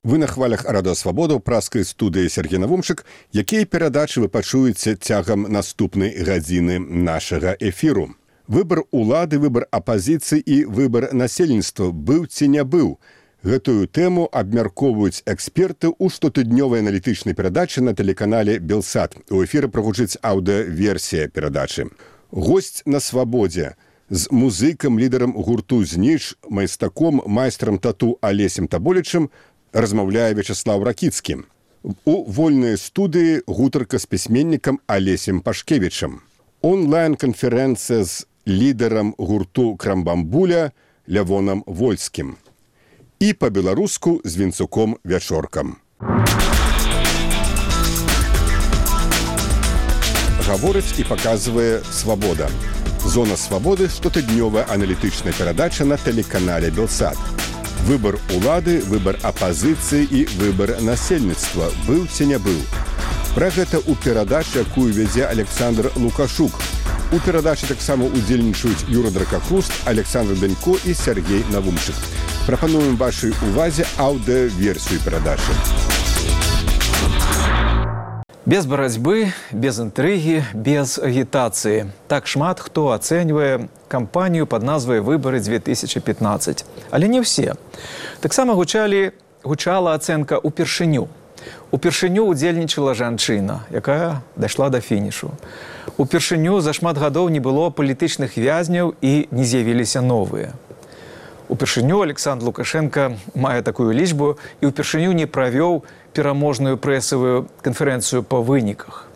Вы на хвалях Радыё Свабода ў праскай студыі Сергей Навумчык, якія перадачы вы пачуеце цягам наступнай гадзіны нашага эфіру. Выбар улады, выбар апазіцыі і выбар насельніцтва быў ці не быў. Гэтую тэму абмяркоўваюць эксперты ў штотыднёвай аналітычнай перадачы на тэлеканале «Белсат». У эфіры прагучыць аўдыёверсія перадачы. Госць на свабодзе з музыкам, лідарам гурту «Зниж», майстаком, майстрам тату Алесем Таболічым размаўляе Вячеслав Ракіцкі. У вольнай студыі гутарка з пісьменнікам Алесем Пашкевічам. Онлайн-канферэнцыя з лідарам гурту «Крамбамбуля» Лявонам Вольскім. І па-беларуску з Вінцуком Вячоркам. Гаворыць і паказвае «Свабода». Зона свабоды – штотыднёвая аналітычная перадача на тэлеканале «Белсат». Выбар улады, выбар апазіцыі і выбар насельніцтва быў ці не быў. Пра гэта ў перадачы, якую вядзе Александр Лукашук. У перадачы таксама удзельнічаюць Юра Дракахруст, Александр Данько і Сергей Навумчык. Прапануем вашай увазе аўдыёверсію перадачы. Без барацьбы, без інтрыгі, без агітацыі. Так шмат хто ацэньвае кампанію пад назвай «Выбары-2015». Але не ўсе. Таксама гучала ацэнка ўпершыню. Упершыню удзельнічала жанчына, якая дайшла да фінішу. Упершыню за шмат гадоў не было палітычных вязняў і не з'явіліся новыя. Упершыню Александр Лукашенко мае такую лічбу і упершыню не правёў пераможную прэсавую канферэнцыю па выніках.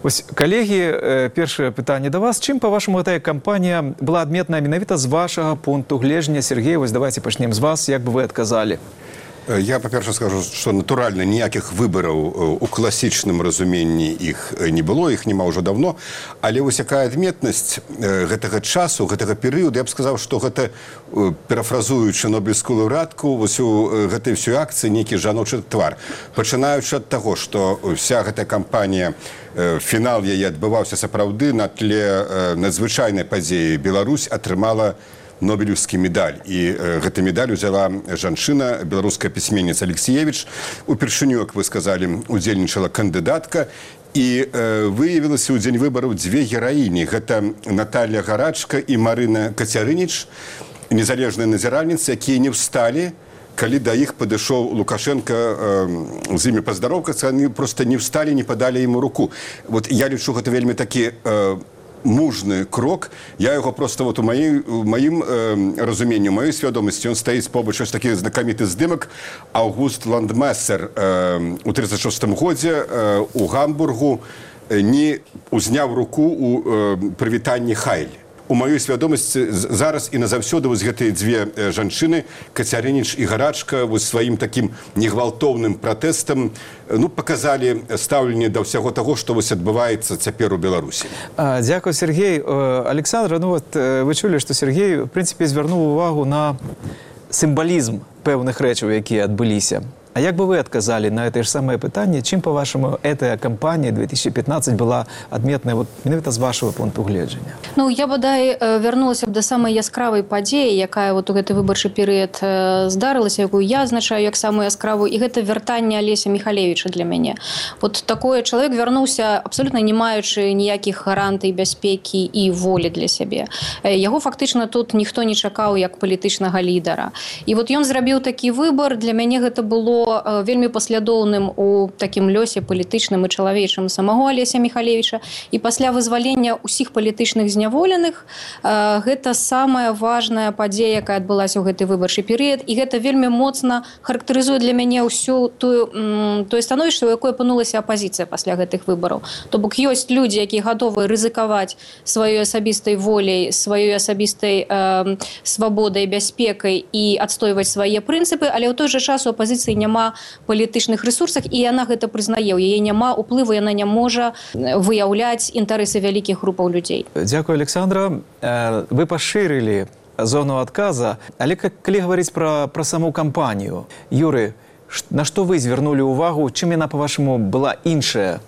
Вось, калегі, першае пытанне да вас. Чым, па-вашаму, гэтая кампанія была адметная менавіта з вашага пункту гледжання? Сергей, вось давайте пачнем з вас. Як бы вы адказалі? Я, па-перша, скажу, што, натуральна, ніякіх выбараў у класічным разуменні іх не было, іх няма ўжо давно, але вось якая адметнасць гэтага часу, гэтага перыяду, я б сказаў, што гэта, парафразуючы нобелевскую лаўрэатку, вось у гэтай всёй акцыі нейкі жаночы твар. Пачынаючы ад таго, што вся гэтая кампанія, фінал яе адбываўся сапраўды на тле надзвычайнай падзеі. Беларусь атрымала Нобелевскі медаль. І гэты медаль узяла жанчына, беларуская пісьменніца Алексіевіч. Упершыню, як вы сказалі, удзельнічала кандыдатка. І выявілася ў дзень выбараў дзве гераіні. Гэта Наталья Гарачка і Марына Кацярыніч, незалежныя назіральніцы, якія не ўсталі, калі да іх падышоў Лукашенко з імі паздароўкацца, яны проста не ўсталі, не падалі яму руку. Вот я лічу, гэта вельмі такі мужны крок. Я яго просто вот у маім разуменні, у маёй свядомасці, ён стаіць побач ось такі знакаміты здымак. Аўгуст Ландмесер у 1936 годзе у Гамбургу не узняў руку у прывітанні Хайль. У маёй свядомасці зараз і назаўсёды вось гэтыя дзве жанчыны, Кацярыніч і Гарачка, вось сваім такім негвалтоўным пратэстам паказалі стаўленне да ўсяго таго, што вось адбываецца цяпер у Беларусі. Дзякуй, Сергей. Александр, вы чулі, што Сергей, в прынцыпе, звярнуў увагу на сімвалізм пэўных рэчаў, якія адбыліся. А як бы вы адказалі на это ж самае пытанне, чым, па-вашаму, эта кампанія 2015 была адметная вот менавіта з вашего пункту гледжання? Я бадай вярнулася б да самай яскравай падзеі, якая вот у гэты выбарчы перыяд здарылася, якую я азначаю як самую яскравую, і гэта вяртанне Алеся Міхалевіча для мяне. Вот такое чалавек вярнуўся абсолютна не маючы ніякіх гарантый бяспекі і волі для сябе. Яго фактычна тут ніхто не чакаў як палітычнага лідара. І вот ён зрабіў такі выбар, для мяне гэта было вельмі паслядоўным у такім лёсе палітычным і чалавечым самого Алеся Міхалевіча. І пасля вызвалення ўсіх палітычных зняволеных гэта самая важная падзея, якая адбылася ў гэты выбарчы перыяд. І гэта вельмі моцна характарызуе для мяне ўсё тое становішча, у якое апынулася апазіцыя пасля гэтых выбараў. То бок ёсць людзі, якія гатовы рызыкаваць сваёй асабістай воляй, сваёй асабістай свабодай, бяспекай і адстойваць свае прынцыпы, але ў той жа час у апазіцыі няма палітычных рэсурсах, і яна гэта прызнае. У яе няма уплыву, яна не можа выяўляць інтарэсы вялікіх групаў людзей. Дзякуй, Александра. Вы пашырылі зону адказа, але калі гаварыць пра саму кампанію, Юры, на што вы звярнулі ўвагу, чым яна, па-вашаму, была іншая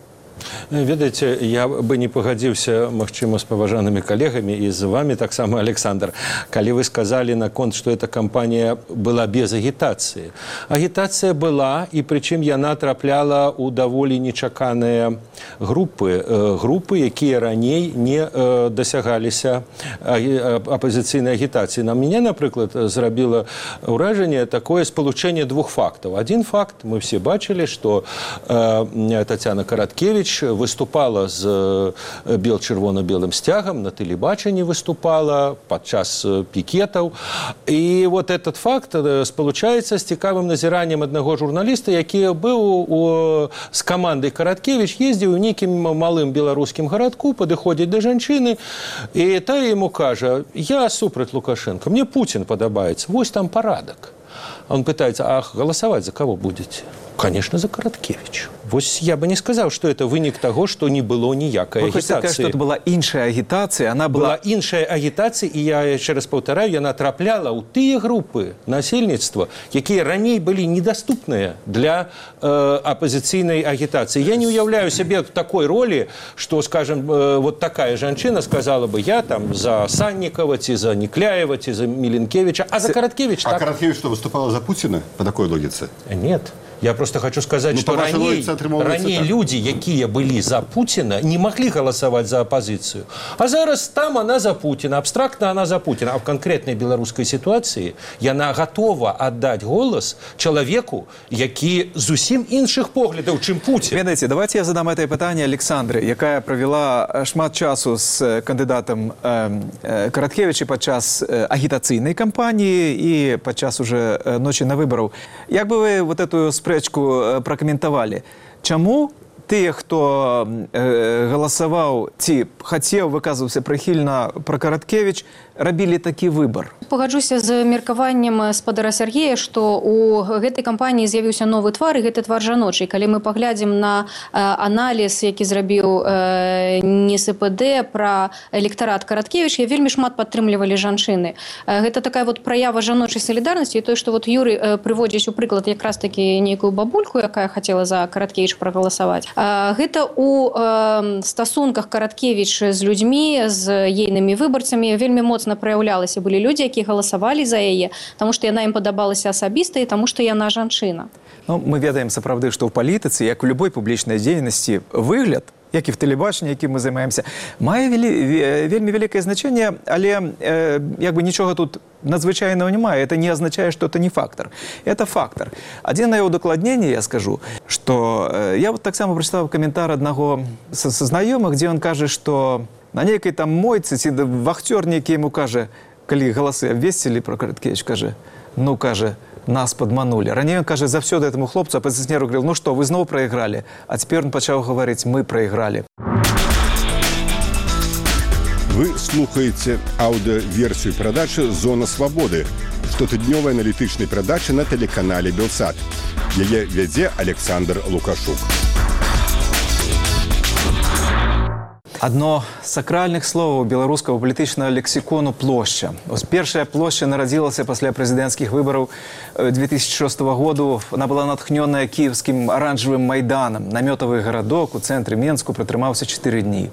Ведаеце, я бы не пагадзіўся, магчыма, з паважанымі калегамі і з вами таксама, Александр, калі вы сказалі наконт, што эта кампанія была без агітацыі. Агітацыя была, і прычым яна трапляла ў даволі нечаканыя групы, якія раней не дасягаліся апазіцыйнай агітацыі. На мяне, напрыклад, зрабіла ўражанне такое спалучэнне двух фактаў. Адзін факт, мы все бачылі, што Тацяна Караткевіч выступала з чырвона-белым сцягам, на тэлебачанні выступала падчас пікетаў. І вот этот факт спалучаецца з цікавым назіраннем аднаго журналіста, які быў з камандай Караткевіч, ездзіў у нейкім малым беларускім гарадку, падыходзіць да жанчыны, і тая яму кажа: «Я супраць Лукашенко, мне Путин падабаецца, вось там парадак». Он пытается: «А голосовать за кого будете?» Конечно, за Караткевич. Вось я бы не сказал, что это вынік того, что не было ніякай агітацыі. Вы хочете сказать, что это была іншая агітацыя? Она была іншая агітацыя, і я яшчэ раз паўтараю, яна трапляла ў тыя групы насельніцтва, якія раней былі недаступныя для апозіцыйнай агітацыі. Я не уяўляю сябе такой ролі, что, скажем, вот такая жанчына сказала бы: «Я там за Санникова, ці за Некляева, ці за Миленкевича, а за Караткевич так». А Караткевич что, выступала за Путина по такой логике? Нет. Я просто хочу сказать, что ранее люди, якія былі за Путина, не могли голосовать за оппозицию. А зараз там она за Путина, абстрактно она за Путина. А в конкретной белорусской ситуации яна готова отдать голос человеку, які зусім іншых поглядаў, чым Путин. Ведаеце, давайте я задам это питання Александры, якая провела шмат часу з кандидатом Караткевича падчас агітацыйнай кампанії і падчас уже ночі на выбораў. Як бы вы вот эту спрэчку пракаментавалі? Чаму тыя, хто галасаваў ці хацеў, выказваўся прыхільна пра Караткевіч, рабілі такі выбар? Пагаджуся з меркаваннем спадара Сергея, што у гэтай кампаніі з'явіўся новы твар, і гэты твар жаночы. Калі мы паглядзім на аналіз, які зрабіў НСПД пра электарат Караткевіча, вельмі шмат падтрымлівалі жанчыны. Гэта такая вот праява жаночай салідарнасці, і тое, што вот Юрый прыводзіць у прыклад якраз такі нейкую бабульку, якая хацела за Караткевіча прагаласаваць. Гэта у стасунках Караткевіча з людзьмі, з ейнымі выбарцамі вельмі моцна праяўлялася. Былі людзі, якія галасавалі за яе, таму што яна ім падабалася асабіста і таму што яна жанчына. Ну, мы ведаем сапраўды, што ў палітыцы, як у любой публічнай дзейнасці, выгляд, як і в тэлебачанні, якім мы займаемся, мае вельмі вялікае значэнне, але як бы нічога тут надзвычайного немає. Это не означает, что это не фактор. Это фактор. Один на его удакладненне я скажу, что я вот так само прочитал комментарий одного со знакомых, где он кажет, что на некой там мойце, ці вахтер некий ему каже, коли голосы обвесили про Караткевич, каже, ну, каже, нас подманули. Ранее он каже, завсёды этому хлопцу, оппозиционеру говорил: ну что, вы снова проиграли. А теперь он начал говорить: мы проиграли. Вы слухаеце аўдыёверсію перадачы «Зона свабоды», штотыднёвай аналітычнай перадачы на тэлеканале «Белсат». Яе вядзе Александр Лукашук. Одно з сакральных словаў беларускага палітычнага лексікону — плошча. Першая плошча нарадзілася пасля прэзідэнцкіх выбараў 2006 году. Она была натхнёная кіевскім аранжавым майданам. Намётавы гарадок у цэнтры Менску пратрымаўся 4 дні.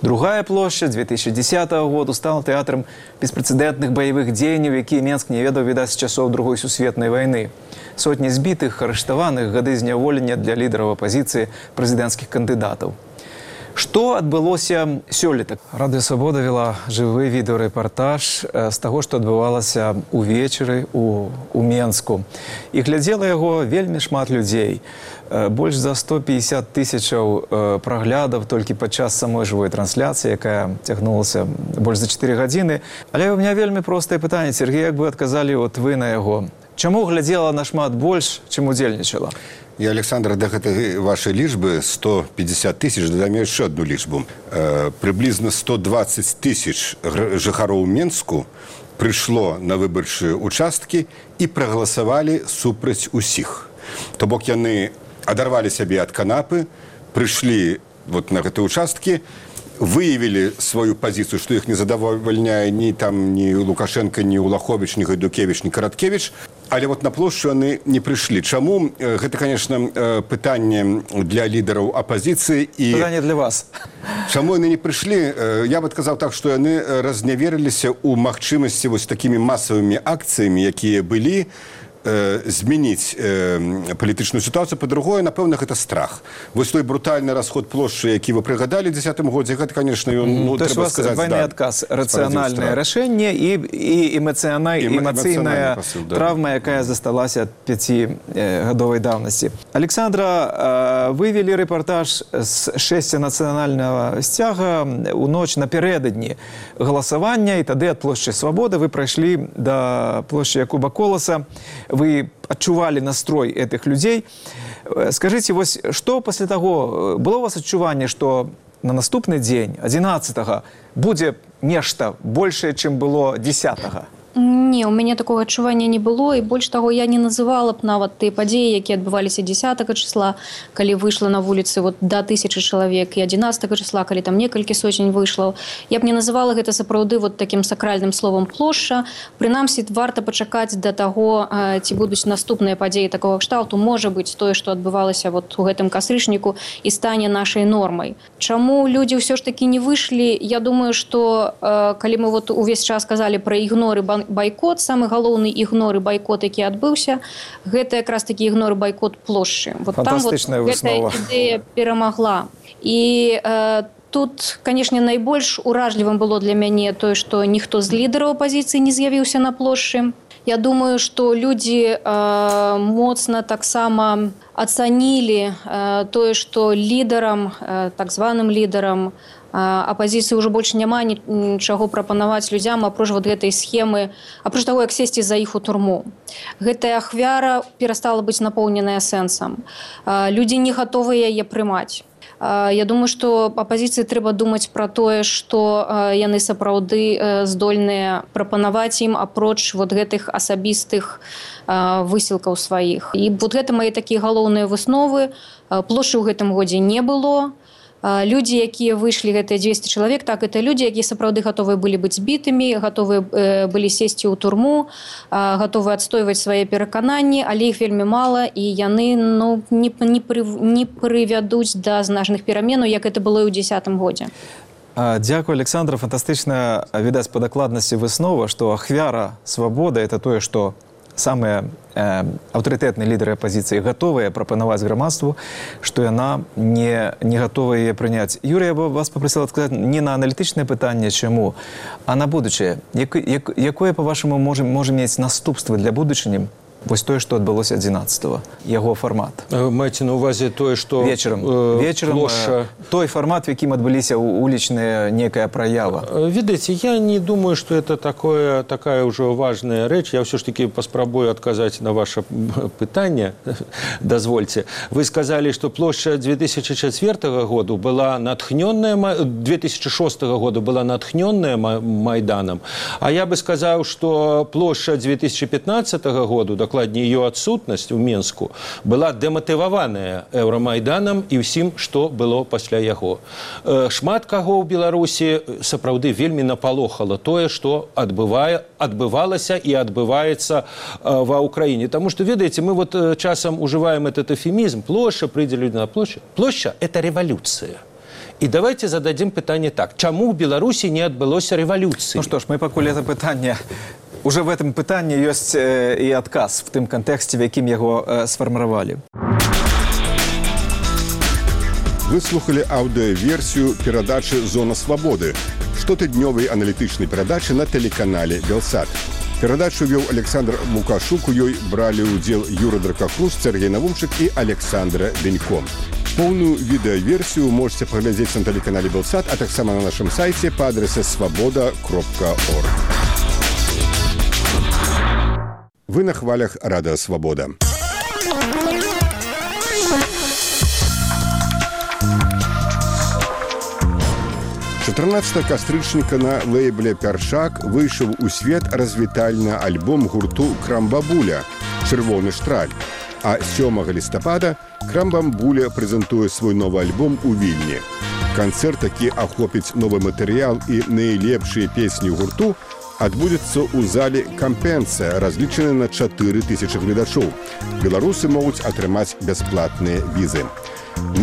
Другая плошча 2010 году стала тэатрам беспрэцэдэнтных баявых дзеянняў, якія Менск не ведаў, відаць, з часоў Другой сусветнай вайны. Сотні збітых, арыштаваных, гады зняволення для лідараў апазіцыі, прэзідэнцкіх кандыдатаў. Што адбылося сёлета? Радыё Свабода вела жывы відэарэпартаж з таго, што адбывалася ўвечары у Менску. І глядзела яго вельмі шмат людзей. Больш за 150 тысячаў праглядаў толькі падчас самой жывой трансляцыі, якая цягнулася больш за 4 гадзіны. Але ў мяне вельмі простае пытанне, Сергей, як бы адказалі от вы на яго? Чаму глядзела нашмат больш, чым удзельнічала? И, Александр, до этой вашей лічбы 150 тысяч, дадам еще одну лічбу. Приблизно 120 тысяч жыхароў Менску пришло на выбарчыя участкі и проголосовали супраць усіх. То бок яны адарвалі сябе ад канапы, пришли вот на гэтыя участкі, выявили свою позицию, что их не задовольняет ни Лукашенко, ни Улахович, ни Гайдукевич, ни Караткевич, Але вот на плошчу яны не прыйшлі. Чаму? Гэта, конечно, пытанне для лідараў апазіцыі і Пытанне для вас. Чаму яны не прыйшлі? Я бы адказаў так, што яны разняверыліся ў магчымасці вось такімі масавымі акцыямі, якія былі, змяніць палітычную сітуацыю. Па-другое, напэўна, гэта страх. Вось той брутальны расход плошчы, які вы прыгадалі ў 10-м годзе, гэта, конечно, ён, то есть у вас двойный отказ, рациональное решение и эмоциональная травма, якая засталась от 5-годовой давности. Александра, вы вели репортаж с шэсця нацыянальнага сцяга у ноч напярэдадні галасавання, і тады ад плошчы Свабоды вы прайшлі да плошчы Якуба Коласа. Вы адчувалі настрой этих людей. Скажите, вось, что после того, было у вас адчуванне, что на наступны дзень, 11-го, будзе нешта большее, чым было 10-го? Не, у мяне такого адчування не было, і больш таго, я не называла б нават тыя падзеі, якія адбываліся 10 числа, калі выйшла на вуліцы вот, до 1000 чалавек, і 11 числа, калі там некалькі сотень выйшла. Я б не называла гэта сапраўды вот таким сакральным словом плошча. Прынамсі, варта пачакаць да таго, ці будуць наступныя падзеі такого кшталту. Можа быць, тое, што адбывалася вот у гэтым кастрычніку, і стане нашай нормай. Чаму людзі ўсё ж такі не выйшлі? Я думаю, што калі мы вот увесь час казалі пра ігноры байкот, самы галоўны ігнор і байкот, які адбыўся, гэта якраз такі ігнор і байкот плошчы. Вот фантастычная выснова. Там вот гэтая ідэя перамагла. І тут, канешне, найбольш уражлівым было для мяне тое, што ніхто з лідараў апазіцыі не з'явіўся на плошчы. Я думаю, што людзі моцна таксама ацанілі тое, што лідарам, так званым лідарам апазіцыі ўжо больш няма нічаго прапанаваць людзям, апроч вот гэтай схемы, апроч таго, як сесці за іх у турму. Гэтая ахвяра перастала быць напоўненая сэнсам. Людзі не гатовыя яе прымаць. Я думаю, што апазіцыі трэба думаць пра тое, што яны сапраўды здольныя прапанаваць ім апроч вот гэтых асабістых высілкаў сваіх. І вот гэта мае такія галоўныя высновы. Плошчы ў гэтым годзе не было. Людзі, якія выйшлі, гэтыя 200 чалавек, так, это людзі, якія сапраўды гатовыя былі быць збітымі, гатовыя былі сесці ў турму, гатовыя адстойваць свае перакананні, але іх вельмі мала, і яны не прывядуць да значных пераменаў, як это было і ў 10-м годзе. Дякую, Александра. Фантастычна відаць па дакладнасці выснова, што ахвяра свабоды – это тое, што самыя аўтарытэтныя лідары апазіцыі гатовыя прапанаваць грамадству, што яна не гатовая яе прыняць. Юрий, я бы вас попросил адказаць не на аналітычнае пытанне, чаму, а на будучае. Якое, па-вашаму, можа мець наступствы для будучыні вось тое, што адбылося 11-го, яго фармат? Маеце на ўвазе тое, што вечарам плошча... той фармат, в якім адбыліся улічная некая праява. Ведаеце, я не думаю, што это такая ўжо важная рэч. Я ўсё ж таки паспрабую адказаць на ваше пытанне. Дазвольце. Вы сказалі, што плошча 2004 году была натхнённая, 2006 году была натхнённая Майданам, а я бы сказаў, што плошча 2015 году, дакладней, ее адсутнасць у Менску была дэматываваная Еўрамайданам і ўсім, што было пасля яго. Шмат каго ў Беларусі сапраўды вельмі напалохала тое, што адбывалася і адбываецца ва Ўкраіне. Таму што, ведаеце, мы вот часам ужываем этот эфемізм. Плошча, прыйдзе людзі на плошчу. Плошча – это рэвалюцыя. І давайте зададзім пытанне так. Чаму ў Беларусі не адбылося рэвалюцыі? Ну што ж, мы пакуль это пытанне... Уже в этом пытанні ёсць і адказ в тым кантэксце, в якім яго сфарміравалі. Вы слухали аўдыёверсію перадачы «Зона свабоды», штотыднёвай аналітычнай перадачы на тэлеканале «Белсат». Перадачу вёў Александр Лукашук, у ёй бралі ўдзел Юра Дракахрус, Сергей Навумчык і Александра Бенько. Поўную відэаверсію можете паглядзець на тэлеканале «Белсат», а таксама на нашым сайце па адрасе свабода.орг. Вы на хвалях Радио Свобода. «14 кастрычніка на лейбле «Пяршак» выйшаў у свет развітальны альбом гурту «Крамбабуля» «Чырвоны штраль». А 7 лістапада «Крамбамбуля» прэзентуе свой новы альбом у Вільні. Канцэрт, які ахопіць новы матэрыял і найлепшыя песні гурту, адбудзецца ў зале «Кампенсія», разлічаны на 4000 гледачоў. Беларусы могуць атрымаць бясплатныя візы.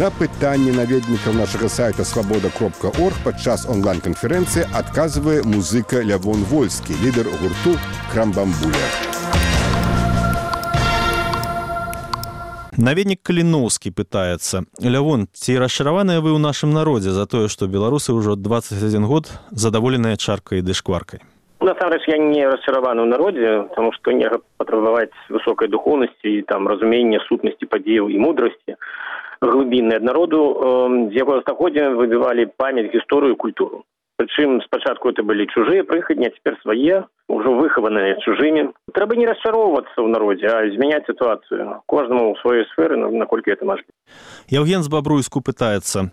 На пытанне наведнікаў нашага сайта «Свабода.орг» падчас онлайн-канферэнцыі адказвае музыка Лявон Вольскі, лідар гурту «Крамбамбуля». Наведнік Каліноўскі пытаецца: Лявон, ці расчараваныя вы ў нашым народзе за тое, што беларусы ўжо 21 год задаволеныя чаркай ды шкваркай? Насамрэч, я не расчараваны ў народзе, таму што нельга патрабаваць высокай духоўнасці і там разумення сутнасці падзеяў і мудрасці глыбіннай ад народу, з якога стагоддзя выбівалі памяць, гісторыю, культуру. Прычым спачатку это былі чужыя прыхадні, а цяпер свае, ужо выхаваныя чужымі. Трэба не расчароўвацца ў народзе, а змяняць сітуацыю. Кожнаму ў сваёй сферы, наколькі гэта мажліва. Яўген з Бабруйску пытаецца: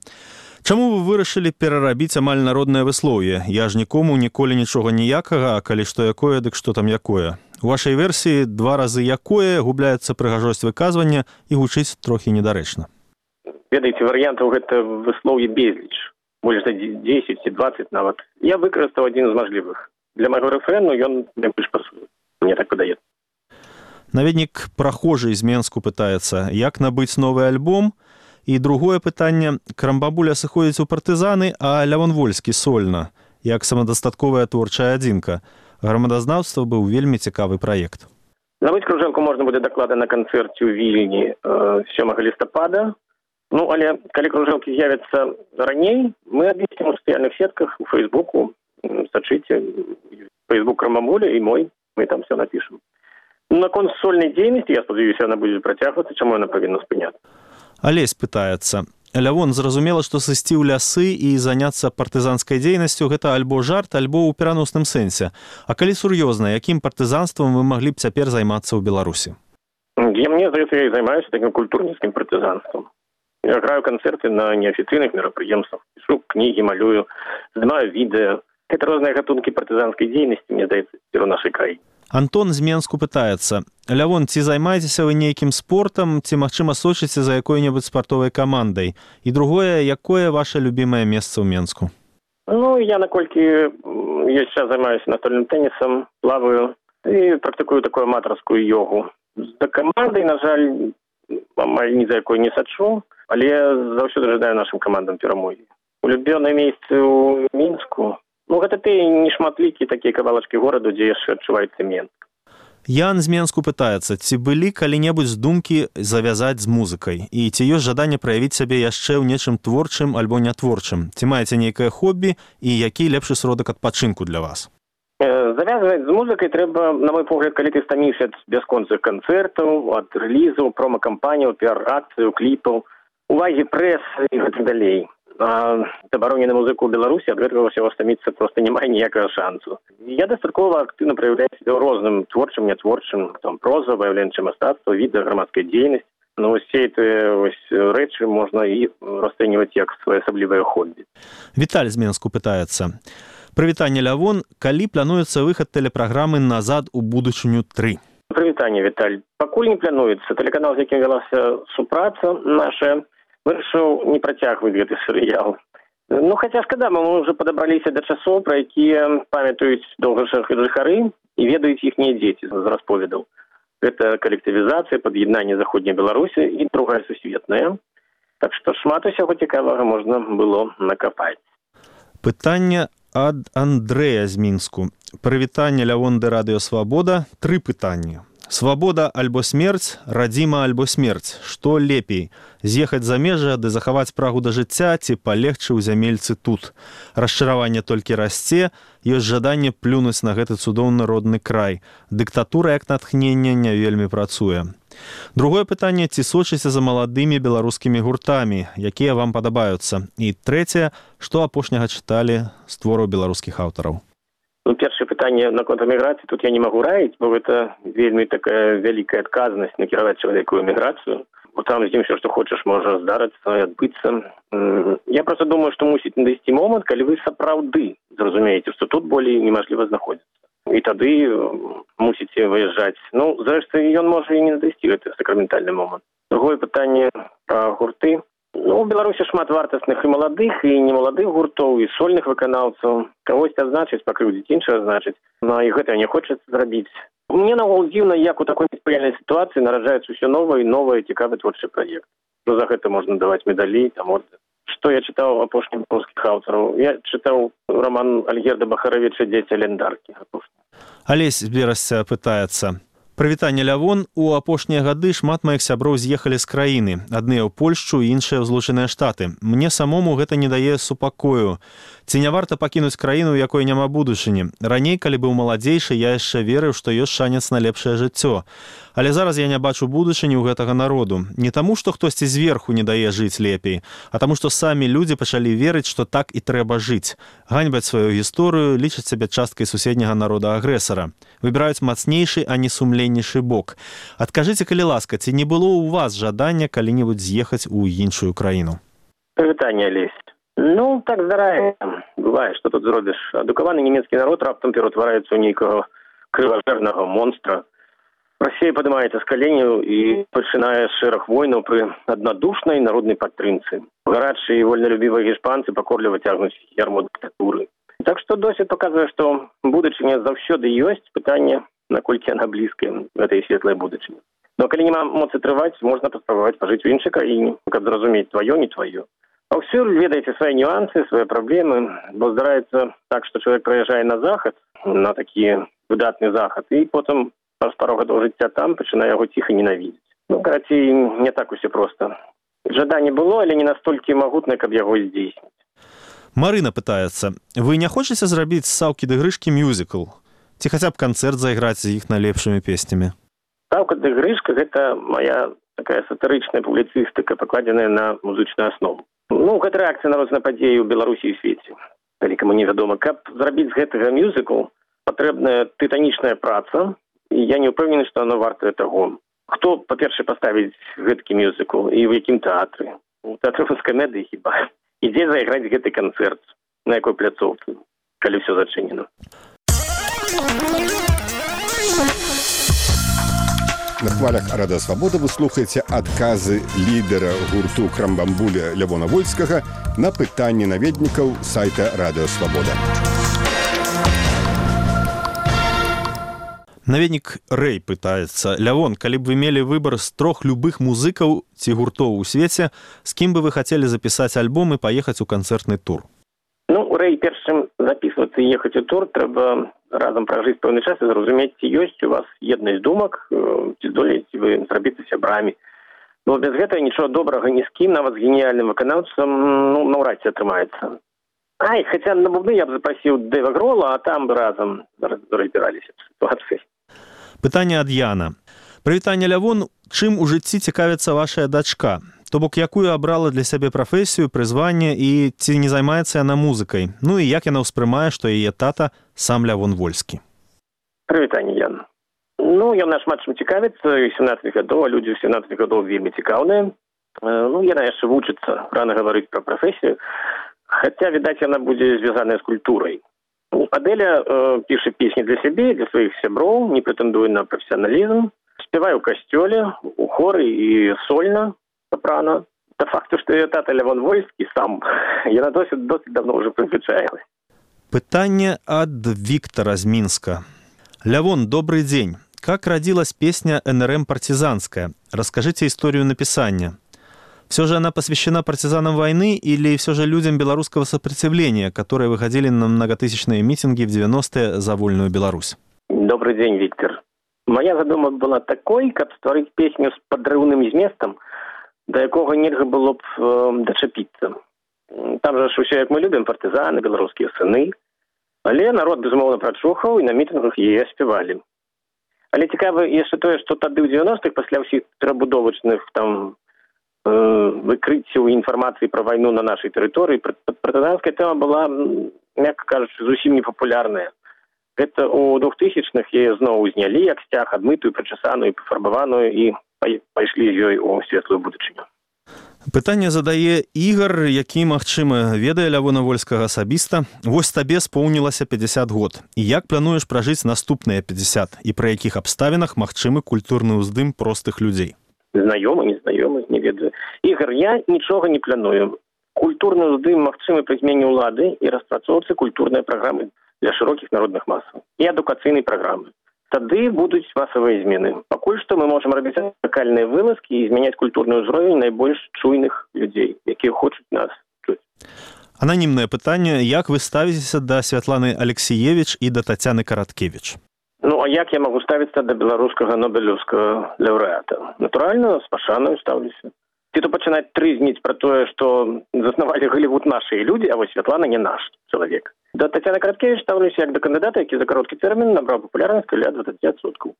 чаму вы вырашылі перарабіць амаль народнае выслоўе? Я ж нікому ніколі нічога ніякага, а калі што якое, дык што там якое? У вашай версіі 2 разы якое губляецца прыгажосць выказвання і гучыць трохі недарэчна. Ведаеце, варыянтаў гэта выслоўе безліч. Больш за 10 ці 20 нават. Я выкарыстаў адзін з мажлівых. Для майго рэфрэну ён найбольш пасуе. Мне так падаецца. Наведнік Прахожы з Менску пытаецца: як набыць новы альбом? І другое пытанне: Крамбамбуля сыходзіць у партызаны, а Лявон Вольскі сольна, як самадастатковая творчая адзінка. Грамадазнаўства быў вельмі цікавы праект. Набыць кружэлку можна будзе даклада на канцэрце ў Вільні 7 лістапада. Ну, але калі кружэлкі з'явяцца раней, мы абвесцім у сацыяльных сетках, у Фейсбуку, сачыце, Фейсбук Крамбамбуля і мой, мы там все напішам. Наконт сольнай дзейнасці, я спадзяюся, яна будзе працягвацца, чаму яна павінна спыняцца? Алесь пытаецца: Лявон, зразумела, што сысці ў лясы і заняцца партызанскай дзейнасцю гэта альбо жарт, альбо ў пераносным сэнсе. А калі сур'ёзна, якім партызанствам вы маглі б цяпер займацца ў Беларусі? Мне здаецца, я і займаюся такім культурніцкім партызанствам. Я граю канцэрты на неафіцыйных мерапрыемствах, пішу кнігі, малюю, здымаю відэа. Гэта розныя гатункі партызанскай дзейнасці, мне здаецца, у нашай краіне. Антон з Менску пытаецца: Лявон, ці займаецеся вы нейкім спортам, ці, магчыма, сочыце за якой-небудзь спартовай камандай? І другое, якое ваше любімае месца ў Менску? Ну, я наколькі ёсць час займаюся настольным тэнісам, плаваю і практыкую такую аматарскую йогу. За камандай, на жаль, амаль ні за якой не сачу, але заўсёды жадаю нашым камандам перамогі. Улюбёнае месцы ў Мінску, ну, гэта тыя нешматлікія такія кавалачкі гораду, дзе яшчэ адчуваецца Менск. Ян з Менску пытаецца: ці былі калі-небудзь думкі завязаць з музыкай? І ці ёсць жаданне праявіць сябе яшчэ ў нечым творчым альбо нятворчым? Ці маеце нейкае хобі і які лепшы сродак адпачынку для вас? Завязваць з музыкай трэба, на мой погляд, калі ты стаміўся ад бясконцых канцэртаў, ад рэлізаў, прома-кампаніяў, піар-акцыяў, кліпаў, увагі прэсы і гэтак далей. Забароне на музыку ў Беларусі ад гэтага ўсяго стаміцца проста не мае ніякага шансу. Я дастаткова актыўна праяўляю сябе ў розным творчым, нятворчым, там проза, выяўленчае мастацтва, відэа, грамадская дзейнасць. Ну, усе гэтыя рэчы можна і расцэньваць як своеасаблівае хобі. Віталь з Менску пытаецца: прывітанне, Лявон, калі плануецца выхад тэлепраграмы «Назад у будучыню 3»? Прывітанне, Віталь. Пакуль не плануецца. Тэлеканал, з якім вялася супраца наша, вырашыў не працягваць гэты серыял. Ну, хаця шкада, мы ўжо падабраліся да часоў, пра якія памятаюць жыхары і ведаюць іхнія дзеці з расповедаў. Гэта калектывізацыя, пад'яднанне заходняй Беларусі і другая сусветная. Так што шмат усяго цікавага можна было накапаць. Пытанне ад Андрэя з Мінску. Прывітанне, Лявон ды Радыё Свабода. 3 пытанні. Свабода альбо смерць, радзіма альбо смерць. Што лепей? З'ехаць за межы ды захаваць прагу да жыцця, ці палегчы ў зямельцы тут? Расчараванне толькі расце, ёсць жаданне плюнуць на гэты цудоўны родны край. Дыктатура як натхненне не вельмі працуе. Другое пытанне: ці сочыце за маладымі беларускімі гуртамі, якія вам падабаюцца? І трэцяе: што апошняга чыталі з твораў беларускіх аўтараў? Ну, першае пытанне наконт эміграцыі тут я не магу раіць, бо гэта вельмі такая вялікая адказнасць накіраваць чалавеку ў эміграцыю. Бо там з ім все, што хочаш, можа здарыцца і адбыцца. Я просто думаю, што мусіць надысці момант, калі вы сапраўды зразумееце, што тут болей немажліва знаходзіцца. І тады мусіце выязджаць. Ну, зрэшты, ён можа і не надысці гэты сакраментальны момант. Другое пытанне пра гурты. Ну, у Беларусі шмат вартасных і маладых, і немаладых гуртоў, і сольных выканаўцаў. Кагось адзначыць, пакрыўдзіць, іншае адзначыць. Ну, і гэта не хочацца зрабіць. Мне наогул дзіўна, як у такой неспрыяльнай сітуацыі нараджаецца ўсё новае і новае цікавы творчы праект. Ну, за гэта можна даваць медалі, там ордэн. Што я чытаў апошніх польскіх аўтараў? Я чытаў роман Альгерда Бахаравіча «Дзеці Лендаркі». Алесь з Берасця пытаецца. Прывітанне, Лявон. У апошнія гады шмат маіх сяброў з'ехалі з краіны. Адныя ў Польшчу, іншыя ў Злучаныя Штаты. Мне самому гэта не дае супакою. Ці не варта пакінуць краіну, у якой няма будучыні? Раней, калі быў маладзейшы, я яшчэ верыў, што ёсць шанец на лепшае жыццё. Але зараз я не бачу будучыні ў гэтага народу. Не таму, што хтосьці зверху не дае жыць лепей, а таму, што самі людзі пачалі верыць, што так і трэба жыць. Ганьбаць сваю гісторыю, лічаць сябе часткай суседняга народа-агрэсара. Выбіраюць мацнейшы, а не сумленнейшы бок. Адкажыце, калі ласка, ці не было ў вас жадання калі-небудзь з'ехаць у іншую краіну? Прывітанне, Алесь. Ну, так здараецца. Бывае, што тут зробіш. Адукаваны нямецкі народ раптам ператвараецца ў нейкага крыважэрнага монстра. Расія падымаецца з каленяў і пачынае шэраг войнаў пры аднадушнай народнай падтрымцы. Гарачыя і вольналюбівыя гішпанцы пакорліва цягнуць ярмо дыктатуры. Так што досвед паказвае, што будучыня заўсёды ёсць, пытанне, наколькі яна блізкая гэтай светлай будучыні. Но калі няма моцы трываць, можна паспрабаваць пажыць у іншай краіне, каб зразумець тваё, не тваё. Паўсюль ведаеце свае нюансы, свае праблемы, бо здараецца так, што чалавек прыязджае на захад, на такі выдатны захад, і потым праз пару гадоў жыцця там пачынае яго ціха ненавідзець. Ну, карацей, не так усё проста. Жаданне было, але не настолькі магутнае, каб яго здзейсніць. Марына пытаецца. Вы не хочаце зрабіць з Саўкі ды Грышкі мюзікл? Ці хаця б канцэрт зайграць з іх найлепшымі песнямі? Саўка ды Грышка – гэта моя такая сатырычная публіцыстыка, пакладзеная на музычную аснову. Ну, гэта рэакцыя на розныя падзеі ў Беларусі і свеце. Калі каму невядома, каб зрабіць з гэтага мюзікл, патрэбная тытанічная праца, і я не ўпэўнены, што оно вартае таго. Хто, па-першае, паставіць гэткі мюзікл і ў якім тэатры? У тэатры камедыі хіба? І дзе зайграць гэты канцэрт? На якой пляцоўцы? Калі ўсё зачынена. На хвалях Радыё Свабода вы слухаеце адказы лідара гурту Крамбамбуля Лявона Вольскага на пытанні наведнікаў сайта Радыё Свабода. Наведнік Рэй пытаецца. Лявон, калі б вы мелі выбар з 3 любых музыкаў ці гуртоў у свеце, з кім бы вы хацелі запісаць альбом і паехаць у канцэртны тур? Ну, Рэй, перш чым записываться і ехаць у тур, трэба разам пражыць пэўны час і зразумець, ці ёсць у вас еднасць думак, ці здолееце вы зрабіцца сябрамі. Бо без гэтага нічого добрага ні з кім, нават з геніяльным выканаўцам, ну, наўрад ці атрымаецца. Ай, хаця на бубны я б запрасіў Дэйва Грола, а там бы разам разбіраліся в сітуацыі. Пытанне ад Яна. Прывітанне, Лявон, чым у жыцці цікавіцца вашая дачка? То бок, якую абрала для сябе прафесію, прызванне і ці не займаецца яна музыкай? Ну і як яна ўспрымае, што яе тата сам Лявон Вольскі? Прывітанне, Ян. Ну, ён шмат чым цікавіцца, 17 гадоў, а людзі 17 гадоў вельмі цікаўныя. Ну, яна яшчэ вучыцца, рана гаварыць пра прафесію. Хаця, відаць, яна будзе звязаная з культурай. Адэля піша песні для сябе, для сваіх сяброў, не прэтэндуе на прафесіяналізм, спявае ў касцёле, у хоры і сольна, сопрано. Та факту, што яе тата Лявон Вольскі сам, яна досыць давно ўжо прызвычаілась. Пытанне ад Виктора з Минска. Лявон, добрый день. Как родилась песня НРМ «Партизанская»? Расскажите историю написания. Все же она посвящена партизанам войны или все же людям белорусского сопротивления, которые выходили на многотысячные митинги в 90-е за вольную Беларусь? Добрый день, Виктор. Моя задума была такой, каб стварыць песню з падрыўным зместам, да якога нельга было б дачапіцца. Там жа ўсё, як мы любім, партызаны, беларускія сыны. Але народ, безумоўна, прачухаў, і на мітынгах яе спявалі. Але цікава яшчэ тое, што тады ў 90-х, пасля ўсіх перабудовачных там выкрыццяў інфармацыі пра вайну на нашай тэрыторыі, партызанская тэма была, мякка кажучы, зусім непапулярная. Гэта ў 2000-х яе зноў узнялі як сцяг, адмытую, прычасаную, пафарбаваную і пайшлі з ёй у светлую будучыню. Пытанне задае Ігар, які, магчыма, ведае Лявона Вольскага асабіста. Вось табе споўнілася 50 год. І як плануеш пражыць наступныя 50? І пры якіх абставінах магчымы культурны ўздым простых людзей? Знаёмы, незнаёмы, не ведаю. Ігор, я нічога не планую. Культурны ўздым магчымы пры змене ўлады і распрацоўцы культурнай праграмы для шырокіх народных масаў і адукацыйнай праграмы. Тады будуць масавыя змены. Пакуль што мы можам рабіць лакальныя вылазкі і змяняць культурны ўзровень найбольш чуйных людзей, якія хочуць нас чуць. Ананімнае пытанне. Як вы ставіцеся да Святланы Алексіевіч і да Тацяны Караткевіч? Ну, а як я магу ставіцца да беларускага нобелеўскага лаўрэата? Натуральна, з пашанаю стаўлюся. Ці то пачынаць трызніць пра тое, што заснавалі Голлівуд нашыя людзі, а вось Святлана не наш чалавек. Да Тацяны Караткевіч ставлюся як да кандыдата, які за кароткі тэрмін набраў папулярнасць каля 20%.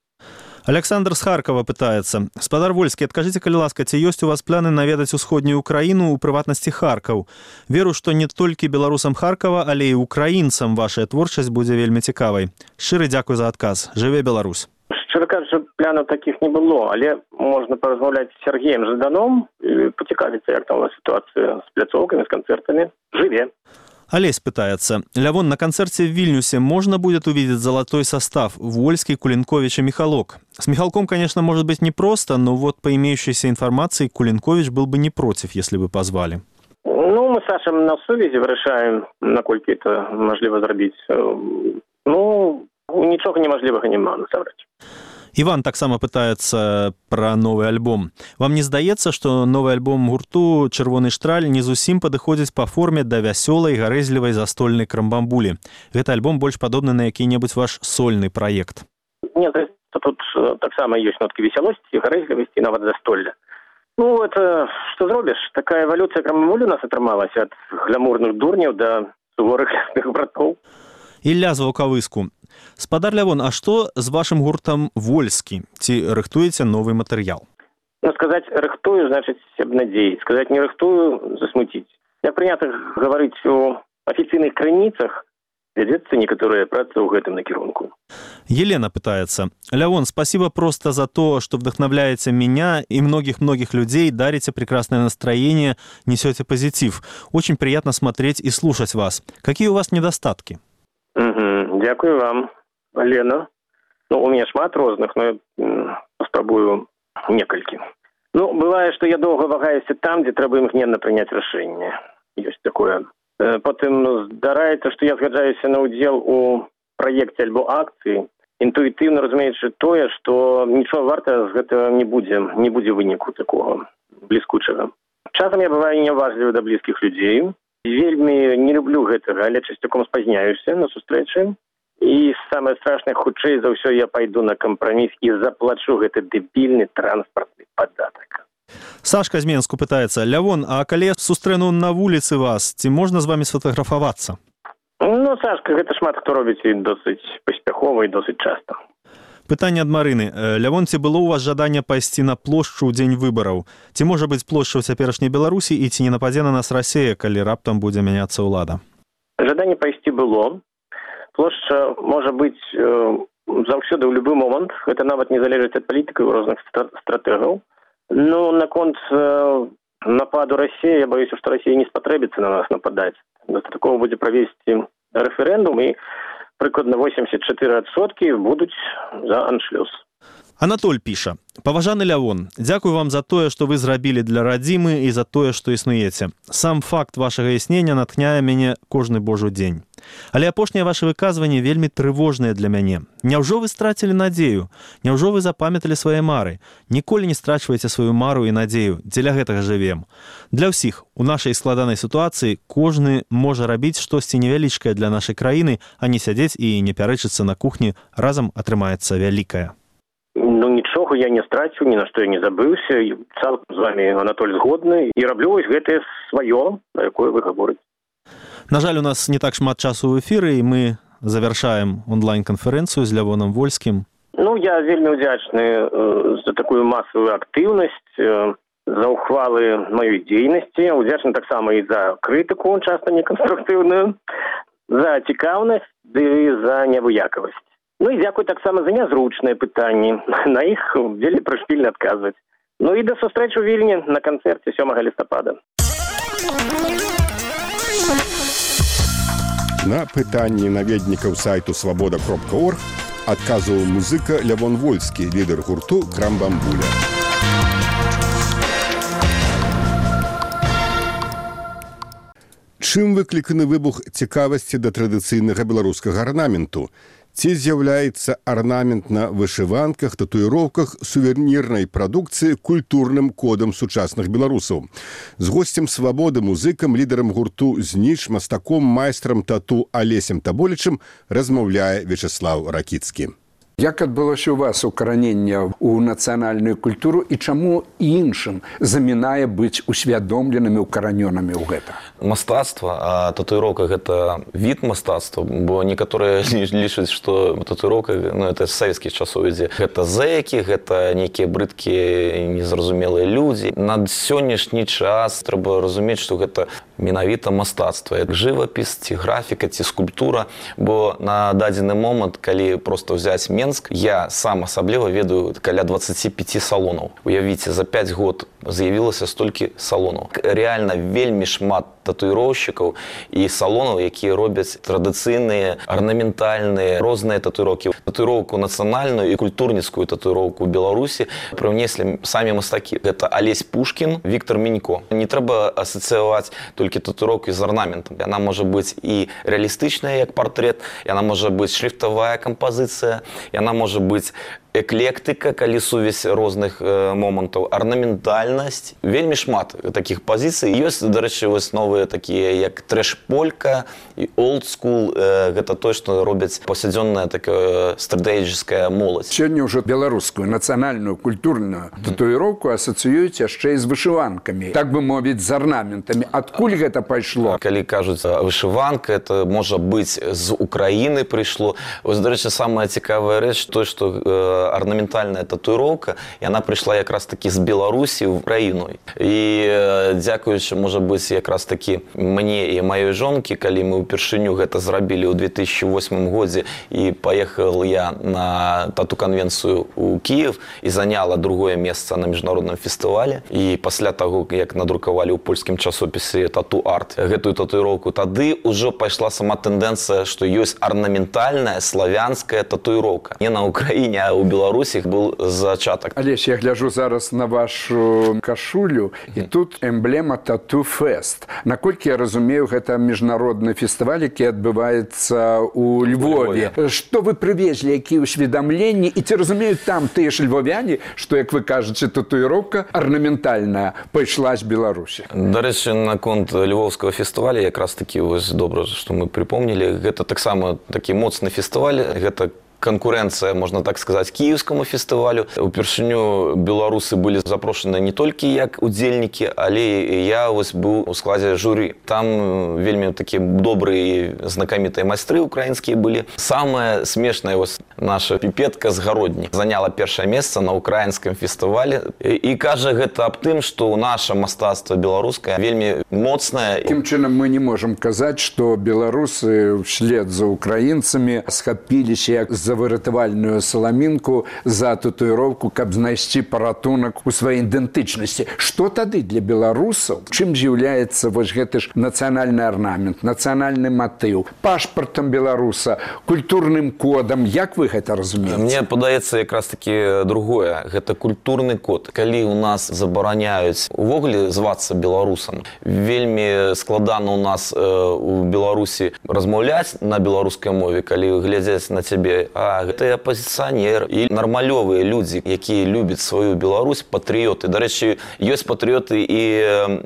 Александр з Харкова пытаецца. Спадар Вольскі, адкажыце, калі ласка, ці ёсць у вас планы наведаць усходнюю Украіну, у прыватнасці Харкаў? Веру, што не толькі беларусам Харкава, але і украінцам вашая творчасць будзе вельмі цікавай. Шчыры дзякуй за адказ. Жыве Беларусь. Шчыра кажучы, планаў такіх не было, але можна паразмаўляць з Сергеем Жаданом і пацікавіцца, як там у нас сітуацыя з пляцоўкамі, з канцэртамі. Жыве. Олесь пытается. Лявон, на концерте в Вильнюсе можно будет увидеть золотой состав Вольский, Кулинкович и Михалок? С Михалком, конечно, может быть непросто, но вот по имеющейся информации Кулинкович был бы не против, если бы позвали. Ну, мы с Сашем на сувязі вырашаем, наколькі это можливо зрабіць. Ну, нічога немажлівага няма, насамрэч. Иван таксама пытаецца пра новы альбом. Вам не здаецца, што новы альбом гурту «Чырвоны штраль» не зусім падыходзіць па форме да вясёлай, гарэзлівай застольнай крамбамбулі? Гэта альбом больш падобны на які-небудзь ваш сольны праект. Не, тут таксама ёсць ноткі весялосці, гарэзлівасці, нават застолля. Ну, это што зробіш? Такая эвалюцыя крамбамбулі у нас атрымалася ад глямурных дурняў да суворых лясных братоў. Ілля з Ваўкавыску. Спадар Лявон, а што з вашым гуртам «Вольскі»? Ці рыхтуеце новы матэрыял? Ну, сказаць «рыхтую» значыць абнадзеіць. Сказаць «не рыхтую» засмуціць. Як прынята гаварыць у афіцыйных крыніцах, вядзецца некаторая праца ў гэтым накірунку. Елена пытается. Лявон, спасибо просто за то, что вдохновляете меня и многих-многих людей, дарите прекрасное настроение, несете позитив. Очень приятно смотреть и слушать вас. Какие у вас недостатки? Дякую вам, Лена. Ну, у меня шмат розных, но я спрабую некалькі. Ну, бывае, што я доўга вагаюся там, дзе трэба імгненна прыняць рашэнне. Ёсць такое. Потым здараецца, што я згаджаюся на ўдзел у праекце альбо акцыі, інтуітыўна разумеючы тое, што нічога варта з гэтага не будзе выніку такога бліскучага. Часам я бываю няважлівы да блізкіх людзей. Вельмі не люблю гэтага, але часцяком спазняюся на сустрэчы. І самае страшнае, хутчэй за ўсё я пайду на кампраміс і заплачу гэты дэбільны транспартны падатак. Сашка з Менску пытаецца. Лявон, а калі я сустрэну на вуліцы вас, ці можна з вами сфотаграфавацца? Ну, Сашка, гэта шмат хто робіць і досыць паспяхова і досыць часта. Пытанне ад Марыны. Лявон, ці было у вас жаданне пайсці на плошчу ў дзень выбараў? Ці можа быць плошча ў цяперашняй Беларусі і ці не нападзе на нас Расія, калі раптам будзе мяняцца ўлада? Жаданне пайсці было. Плошча можа быць заўсёды ў любы момант. Гэта нават не залежыць ад палітыкаў і розных стратэгаў. Ну, наконт нападу Расіі, я боюся, што Расія не спатрэбіцца на нас нападаць. Дастаткова будзе правесці рэферэндум, і прыкладна 84% будуць за аншлюз. Анатоль піша. Паважаны Лявон, дзякую вам за тое, што вы зрабілі для радзімы і за тое, што існуеце. Сам факт вашага існення натхняе мяне кожны божы дзень. Але апошняе ваше выказванне вельмі трывожнае для мяне. Няўжо вы страцілі надзею? Няўжо вы запамяталі свае мары? Ніколі не страчвайце сваю мару і надзею. Дзеля гэтага жывем. Для ўсіх у нашай складанай сітуацыі кожны можа рабіць штосьці невялічкае для нашай краіны, а не сядзець і не пярэчыцца на кухні, разам атрымаецца вялікае. Ну, нічога я не страціў, ні на што я не забыўся. Цалкам з вами, Анатоль, згодны. І раблю вось гэтае сваё, на якое вы гаворыце. На жаль, у нас не так шмат часу ў эфіры, і мы завяршаем онлайн-канферэнцыю з Лявоном Вольскім. Ну, я вельмі ўдзячны за такую масавую актыўнасць, за ўхвалы маёй дзейнасці, ўдзячны таксама і за крытыку, часта неканструктыўную, за цікаўнасць ды за невыякавасць. Ну і дзякуй таксама за нязручныя пытанні. На іх вельмі прышпільна адказваць. Ну і да сустрэчы ў Вільні на канцэрце 7 лістапада. На пытанні наведнікаў сайту свабода.орг адказваў музыка Лявон Вольскі, лідар гурту «Крамбамбуля». Чым выкліканы выбух цікавасці да традыцыйнага беларускага арнаменту? Ці з'яўляецца арнамент на вышыванках, татуіроўках сувенірнай прадукцыі культурным кодам сучасных беларусаў? З госцем «Свабоды», музыкам, лідарам гурту «Зніч», мастаком, майстрам тату Алесем Таболічым размаўляе Вячеслав Ракіцкі. Як адбылося ў вас укараненне ў нацыянальную культуру і чаму іншым замінае быць усвядомленымі, укаранёнымі ў гэта? Мастацтва, а татуіроўка – гэта від мастацтва, бо некаторыя лічаць, што татуіроўка, это з савецкіх часоў ідзе. Гэта зэкі, гэта нейкія брыдкія, незразумелыя людзі. На сённяшні час трэба разумець, што гэта менавіта мастацтва. Жывапіс, ці графіка, ці скульптура, бо на дадзены момант, калі проста ўзяць Менск, я сам асабліва ведаю каля 25 салонаў. Уявіце, за 5 год з'явілася столькі салонаў. Реальна вельмі шмат татуіроўшчыкаў і салонаў, якія робяць традыцыйныя, арнаментальныя, розныя татуіроўкі. Татуіроўку нацыянальную і культурніцкую татуіроўку ў Беларусі прынеслі самі мастакі. Гэта Алесь Пушкін, Віктор Мінько. Не трэба асацыяваць толькі татуіроўку з арнаментам. Яна можа быць і рэалістычная, як партрэт, яна можа быць шрифтавая кампазіцыя, яна можа быць эклектыка, калі сувязь розных момантаў, арнаментальнасць. Вельмі шмат такіх пазіцый. Ёсць, дарэчы, вось новыя такія, як трэш-полька і олдскул. Гэта тое, што робяць паўсядзённая такая стратэгічная моладзь. Сёння ўжо беларускую нацыянальную культурную татуіроўку асацыююць яшчэ і з вышыванкамі. Так бы мовіць, з арнаментамі. Адкуль гэта пайшло? Калі кажуць, вышыванка, это можа быць з Украіны прыйшло. Вось, дарэчы, самая цікавая рэч, то, што арнаментальная татуіроўка, яна прыйшла якраз такі з Беларусі ў Украіну. І дзякуючы, можа быць, якраз такі мне і маёй жонкі, калі мы ўпершыню гэта зрабілі ў 2008 годзе і паехал я на тату-канвенцыю ў Кіев і заняла другое месца на міжнародным фестывале. І пасля таго, як надрукавалі ў польскім часопісе «Тату-арт» гэтую татуіроўку, тады ўжо пайшла сама тэндэнцыя, што ёсць арнаментальная славянская татуіроўка. Не на Украіне, а ў Беларусі быў зачатак. Алесь, я гляджу зараз на вашу кашулю, і тут эмблема «Тату-фест». Наколькі я разумею, гэта міжнародны фестываль, які адбываецца ў Львове. Што вы прывезлі, якія ўсведамленні? І ці разумеюць там тыя ж львовяне, што, як вы кажаце, татуіроўка арнаментальная пайшла з Беларусі? Дарэчы, наконт львовскага фестываля, якраз такі вось добра, што мы припомнілі, гэта таксама такі моцны фестываль, гэта конкуренция, можно так сказать, киевскому фестивалю. Упершыню беларусы были запрошены не только як удзельники, але я вось был у складе жюри. Там вельмі такие добрые, знакомитые майстры украинские были. Самое смешное, вось наша пипетка з Гародні заняла першае месца на украинском фестивале. И кажа гэта аб тым, что наше мастацтва беларускае вельмі моцнае. Таким чынам мы не можем казаць, что беларусы вслед за украинцами схапіліся як за выратавальную саламінку, за татуіроўку, каб знайсці паратунак у сваёй ідэнтычнасці. Што тады для беларусаў? Чым з'яўляецца вось гэты ж нацыянальны арнамент, нацыянальны матыў, пашпартам беларуса, культурным кодам? Як вы гэта разумееце? Мне падаецца якраз таки другое. Гэта культурны код. Калі у нас забараняюць увогуле звацца беларусам, вельмі складана у нас у Беларусі размаўляць на беларускай мове, калі глядзяць на цябе, гэта апозіцыянер і нармалёвыя людзі, якія любяць сваю Беларусь, патрыёты. Дарэчы, ёсць патрыёты і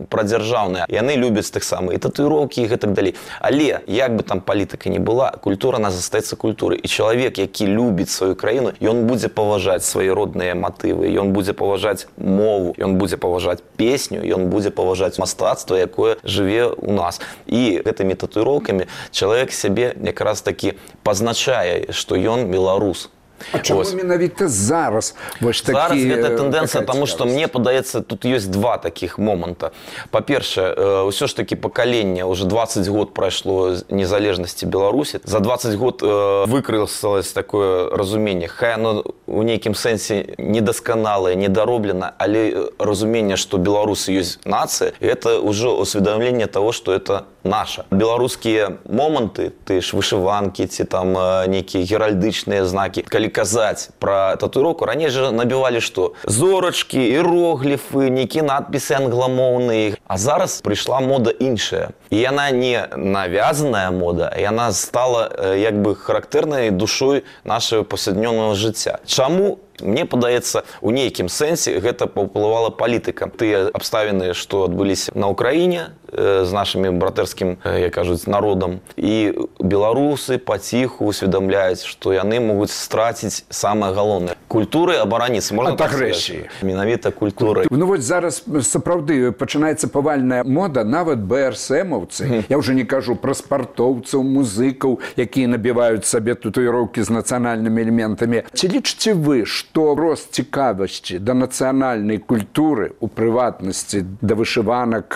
прадзяржаўныя. Яны любяць таксама і татуіроўкі, і гэтак далей. Але, як бы там палітыка не была, культура нас застаецца культурай. І чалавек, які любіць сваю краіну, ён будзе паважаць свае родныя матывы, ён будзе паважаць мову, ён будзе паважаць песню, ён будзе паважаць мастацтва, якое жыве ў нас. І гэтымі татуіроўкамі чалавек сябе якраз такі пазначае, што ён беларус. А чаму менавіта зараз вось такі... Зараз гэта тэндэнцыя, таму што мне падаецца, тут ёсць два такіх моманта. Па-першае, ўсё ж такі пакаленне, уже 20 год прайшло незалежнасці Беларусі. За 20 год выкрылася такое разуменне. Хай оно у нейкім сэнсе недасканалае, недароблена, але разуменне, што беларусы ёсць нацыя, гэта ўжо усведамленне таго, што это наша. Беларускія моманты, ты ж вышыванкі, ці там нейкія геральдычныя знакі, калі калі казаць пра татуіроўку, раней жа набівалі што? Зорачкі, іерогліфы, нейкія надпісы англамоўныя. А зараз прыйшла мода іншая. І яна не навязаная мода, яна стала як бы характэрнай душой нашего паўсяднёвага жыцця. Чаму? Мне падаецца, у нейкім сэнсе гэта паўплывала палітыка. Тыя абставіны, што адбыліся на Ўкраіне з нашымі братэрскім, як кажуць, народам. І беларусы паціху усведамляюць, што яны могуць страціць самае галоўнае. Культуры абараніцца. Можна так сказаць? Менавіта культуры. Ну вот зараз сапраўды пачынаецца павальная мода, нават БРСМаўцы. Я ўжо не кажу пра спартоўцаў, музыкаў, якія набіваюць сабе татуіроўкі з нацыянальнымі элементамі. Ці лічыце вы, што рост цікавасці да нацыянальнай культуры, у прыватнасці да вышыванак,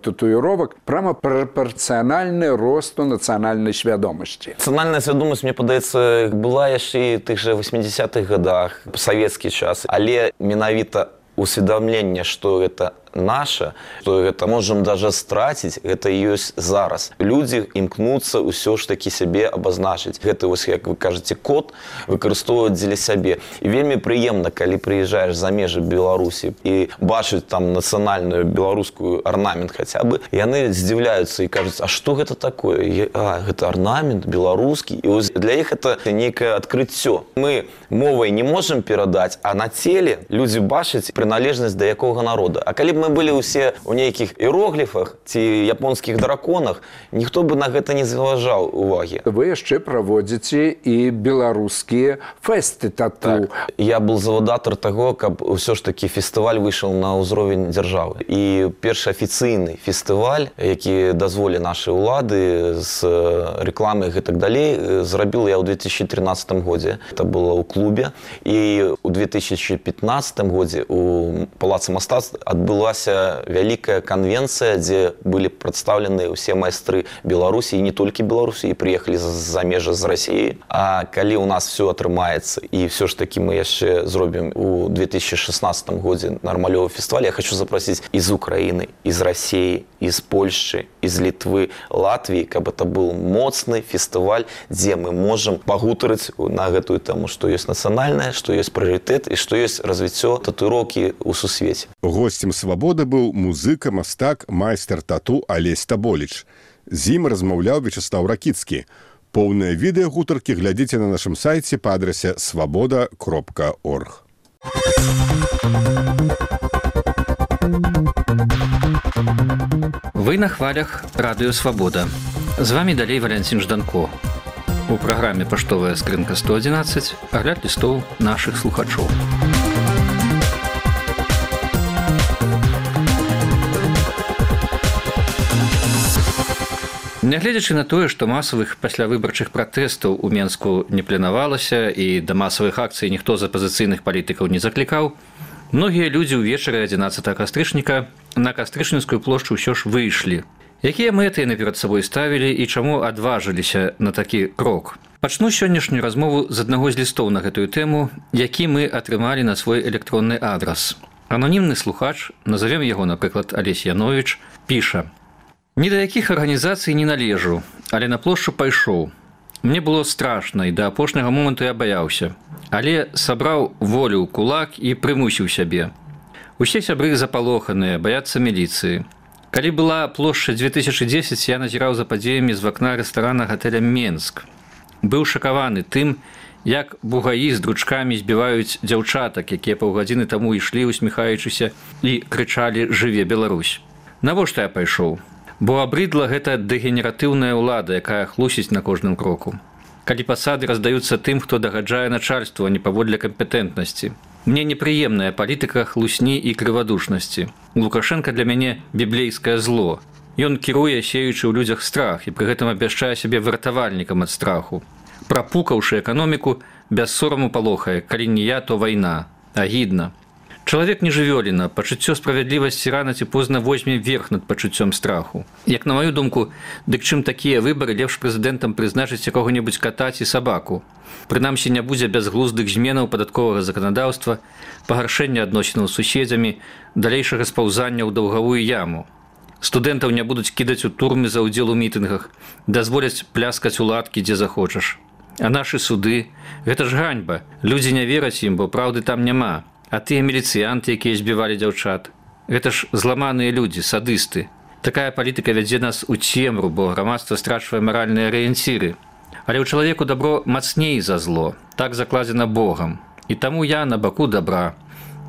татуіровак, прама прапарцыянальны росту нацыянальнай свядомасці? Нацыянальная свядомасць, мне падаецца, была яшчэ і тых жа 80-х годах, савецкі час, але менавіта усведамленне, што гэта наша, што гэта можам даже страціць, гэта ёсць зараз. Людзі імкнуцца ўсё ж такі сябе абазначыць. Гэта, вось, як вы кажаце, код выкарыстоўваць дзеля сябе. І вельмі прыемна, калі прыязджаеш за межы Беларусі і бачыць там нацыянальную беларускую арнамент хаця бы, яны здзіўляюцца і кажуць, а што гэта такое? Гэта арнамент беларускі. І вось для іх это нейкае адкрыццё. Мы мовай не можам перадаць, а на целе людзі бачаць прыналежнасць да якога народа. А калі б мы былі ўсе ў нейкіх іерогліфах ці японскіх драконах, ніхто бы на гэта не зважаў увагі. Вы яшчэ праводзіце і беларускія фэсты тату. Так. Я был завадатар таго, каб ўсё ж такі фестываль выйшаў на ўзровень дзяржавы. І першы афіцыйны фестываль, які дазволі нашы ўлады з рэкламай і так далей, зрабіл я ў 2013 годзе. Это было ў клубе. І ў 2015 годзе у Палацы мастацтв адбылася вялікая канвенцыя, дзе былі прадстаўлены ўсе майстры Беларусі, і не толькі Беларусі, і прыехалі за межы з Расіі. А калі у нас все атрымаецца, і все ж таки мы яшчэ зробім у 2016 годзе нармалёвы фестываль, я хочу запросіць из Украины, из России, из Польши, из Литвы, Латвии, каб это был моцны фестываль, дзе мы можем пагутарыць на гэтую тэму, што ёсць нацыянальнае, што ёсць прыярытэт і што ёсць развіццё татуіроўкі ў сусвеце. Гостем «Свабоды» быў музыка, мастак, майстар тату Алесь Таболіч. З ім размаўляў Вячеслав Ракіцкі. Поўнае відэа гутаркі глядзіце на нашым сайце па адрасе swaboda.org. Вы на хвалях Радыё Свабода. З вами далей Валянцін Жданко. У праграме «Паштовая скрынка 111» агляд лістоў нашых слухачоў. Нягледзячы на тое, што масавых паслявыбарчых пратэстаў у Менску не планавалася і да масавых акцый ніхто з апазіцыйных палітыкаў не заклікаў, многія людзі ўвечары 11 кастрычніка на Кастрычніцкую плошчу ўсё ж выйшлі. Якія мэты яны перад сабой ставілі і чаму адважыліся на такі крок? Пачну сённяшнюю размову з аднаго з лістоў на гэтую тэму, які мы атрымалі на свой электронны адрас. Ананімны слухач, назовем яго, напрыклад, Алесь Яновіч, піша: «Ні да якіх арганізацый не належу, але на плошчу пайшоў. Мне было страшна, і да апошняга моманту я баяўся. Але сабраў волю ў кулак і прымусіў сябе. Усе сябры запалоханыя, баяцца міліцыі. Калі была плошча 2010, я назіраў за падзеямі з вакна рэстарана гатэля «Менск». Быў шакаваны тым, як бугаі з дручкамі збіваюць дзяўчатак, якія паўгадзіны таму ішлі, усміхаючыся, і крычалі «Жыве Беларусь». Навошта я пайшоў? Бо абрыдла гэта дэгенератыўная ўлада, якая хлусіць на кожным кроку. Калі пасады раздаюцца тым, хто дагаджае начальству, а не паводле кампетэнтнасці. Мне непрыемная палітыка хлусні і крывадушнасці. Лукашенко для мяне біблейскае зло. Ён кіруе, сеючы ў людзях страх, і пры гэтым абвяшчае сябе выратавальнікам ад страху. Прапукаўшы эканоміку, без сораму палохае, калі не я, то вайна. Агідна. Чалавек не жывёліна, пачуццё справядлівасці рана ці позна возьме верх над пачуццём страху. Як на маю думку, дык чым такія выбары, лепш прэзідэнтам прызначыць якога-небудзь ката ці сабаку. Прынамсі не будзе бязглуздых зменаў падатковага заканадаўства, пагаршэння адносінаў з суседзямі, далейшага спаўзання ў даўгавую яму. Студэнтаў не будуць кідаць у турмы за ўдзел у мітынгах, дазволяць пляскаць у ладкі, дзе захочаш. А нашы суды – гэта ж ганьба. Людзі не вераць ім, бо праўды там няма. А тыя міліцыянты, якія збівалі дзяўчат. Гэта ж зламаныя людзі, садысты. Такая палітыка вядзе нас у цемру, бо грамадства страчвае маральныя арыенціры. Але ў чалавеку дабро мацней за зло. Так закладзена Богам. І таму я на баку добра.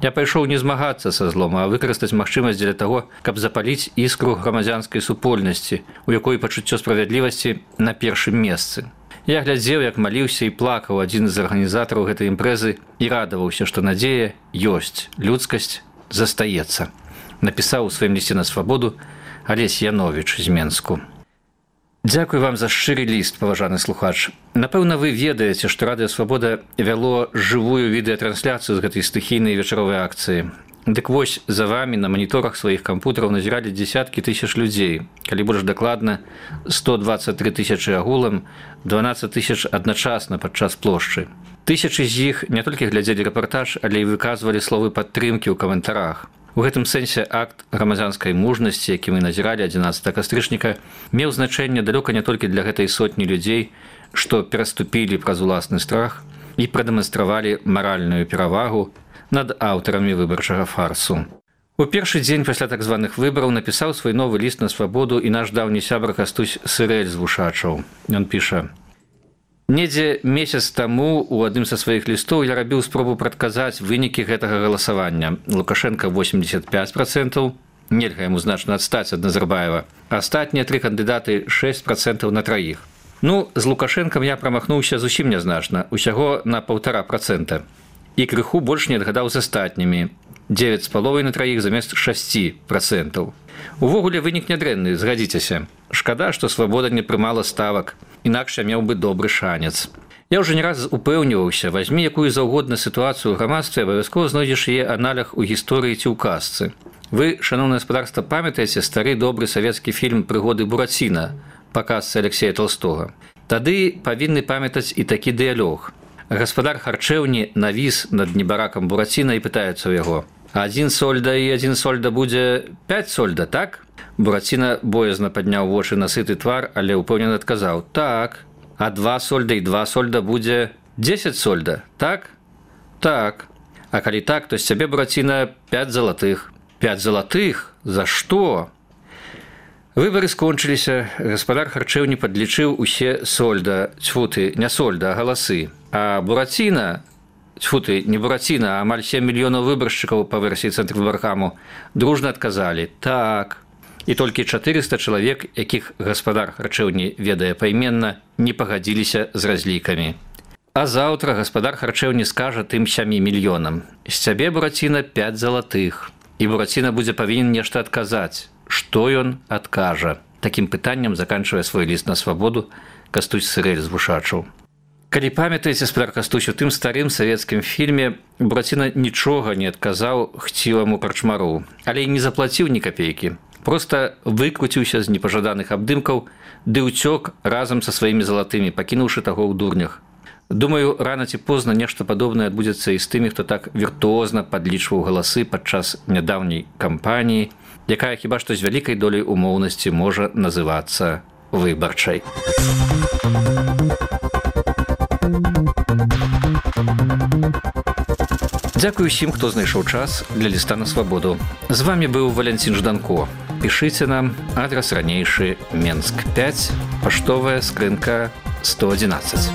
Я пайшоў не змагацца са злом, а выкарыстаць магчымасць для таго, каб запаліць іскру грамадзянскай супольнасці, у якой пачуццё справядлівасці на першым месцы. Я глядзеў, як маліўся і плакаў адзін з арганізатараў гэтай імпрэзы і радаваўся, што надзея ёсць, людскасць застаецца. Напісаў у сваім лісце на свабоду Алесь Яновіч з Менску. Дзякуй вам за шчыры ліст, паважаны слухач. Напэўна, вы ведаеце, што Радыё Свабода вяло жывую відэатрансляцыю з гэтай стыхійнай вечаровай акцыі. Дык вось за вамі на маніторах сваіх кампутараў назіралі дзесяткі тысяч людзей. Калі больш дакладна, 123 тысячы агулам, 12 тысяч адначасна падчас плошчы. Тысячы з іх не толькі глядзелі рэпартаж, але і выказвалі словы падтрымкі ў каментарах. У гэтым сэнсе акт грамадзянскай мужнасці, які мы назіралі 11 кастрычніка, меў значэнне далёка не толькі для гэтай сотні людзей, што пераступілі праз уласны страх і прадэманстравалі маральную перавагу над аўтарамі выбарчага фарсу. У першы дзень пасля так званых выбараў напісаў свой новы ліст на свабоду і наш даўні сябра Кастусь Сырэль з Вушачаў. Ён піша: «Недзе месяц таму у адным са сваіх лістоў я рабіў спробу прадказаць вынікі гэтага галасавання. Лукашенко 85%, нельга яму значна адстаць ад Назарбаева. Астатнія тры кандыдаты 6% на траіх. Ну, з Лукашенкам я прамахнуўся зусім нязначна, усяго на 1,5%. І крыху больш не адгадаў з астатнімі. 9,5 на траіх замест 6%. Увогуле вынік нядрэнны, згадзіцеся. Шкада, што свабода не прымала ставак, інакш я меў бы добры шанец. Я ўжо не раз упэўніваўся, вазьмі якую заўгодна сітуацыю ў грамадстве, абавязкова знойдзеш яе аналях у гісторыі ці ў казцы. Вы, шаноўнае гаспадарства, памятаеце стары добры савецкі фільм «Прыгоды Бураціна» па казцы Алексея Толстога? Тады павінны памятаць і такі дыялог. Гаспадар харчэўні навіс над небаракам Бураціна і пытаецца ў яго: «Адзін сольда і адзін сольда будзе 5 сольда, так?» Бураціна боязна падняў вочы на сыты твар, але ўпэўнена адказаў: «Так». «А 2 сольда і 2 сольда будзе 10 сольда, так?» «Так». «А калі так, то з цябе, Бураціна, 5 залатых». «5 залатых? За што?» Выбары скончыліся. Гаспадар харчэўні падлічыў усе сольда, цьфуты, не сольда, а галасы. А Бураціна, цьфуты, не Бураціна, а амаль 7 мільёнаў выбаршчыкаў па версіі Цэнтрвыбаркаму дружна адказалі: «Так». І толькі 400 чалавек, якіх гаспадар харчэўні ведае пайменна, не пагадзіліся з разлікамі. А заўтра гаспадар харчэўні скажа тым 7 мільёнам: «З цябе, Бураціна, 5 залатых». І Бураціна будзе павінен нешта адказаць. Што ён адкажа? Такім пытаннем заканчвае свой ліст на свабоду Кастусь Сырэль з Вушачаў. Калі памятаеце, гаспадар Кастусь, у тым старым савецкім фільме Бураціна нічога не адказаў хціваму карчмару, але і не заплаціў ні капейкі. Проста выкруціўся з непажаданых абдымкаў ды ўцёк разам са сваімі залатымі, пакінуўшы таго ў дурнях. Думаю, рана ці позна нешта падобнае адбудзецца і з тымі, хто так віртуозна падлічваў галасы падчас нядаўняй кампаніі, якая хіба што з вялікай доляй умоўнасці можа называцца выбарчай. Дзякуй усім, хто знайшоў час для ліста на свабоду. З вамі быў Валянцін Жданко. Пішыце нам, адрас ранейшы: Менск 5, паштовая скрынка 111.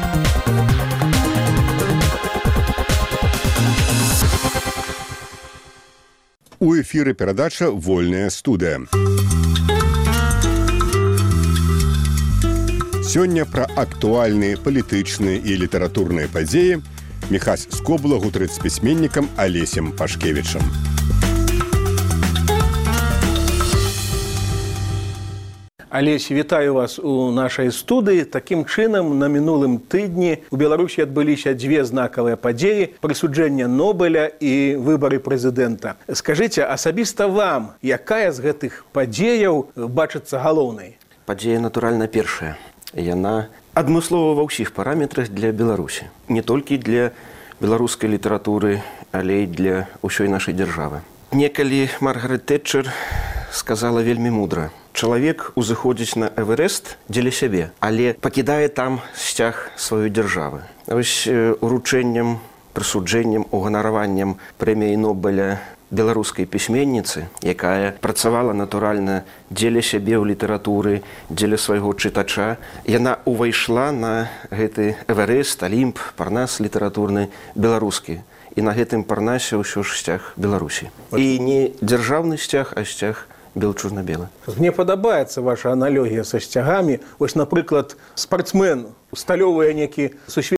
У эфіры перадача «Вольная студыя». Сёння пра актуальныя палітычныя і літаратурныя падзеі Міхась Скобла гутарыць з пісьменнікам Алесем Пашкевічам. Алесь, вітаю вас у нашай студыі. Такім чынам, на мінулым тыдні у Беларусі адбыліся дзве знакавыя падзеі: прысуджэнне Нобеля і выбары прэзідэнта. Скажыце, асабіста вам, якая з гэтых падзеяў бачыцца галоўнай? Падзея, натуральна, першая. Яна адмыслова ва ўсіх параметрах для Беларусі. Не толькі для беларускай літаратуры, але і для ўсёй нашай дзяржавы. Некалі Маргарет Тэтчер сказала вельмі мудра. Чалавек узыходзіць на Эверест дзеля сябе, але пакідае там сцяг сваёй дзяржавы. Вось уручэннем, прысуджэннем, уганараваннем прэміі Нобеля беларускай пісьменніцы, якая працавала натуральна дзеля сябе ў літаратуры, дзеля свайго чытача, яна ўвайшла на гэты Эверест, Алімп, парнас літаратурны беларускі. І на гэтым парнасе ўсё ж сцяг Беларусі. І не дзяржаўны сцяг, а сцяг бел-чорна-белы. Мне падабаецца ваша аналогія са сцягамі. Вось, напрыклад, спартсмен, усталёўвае некі сусветны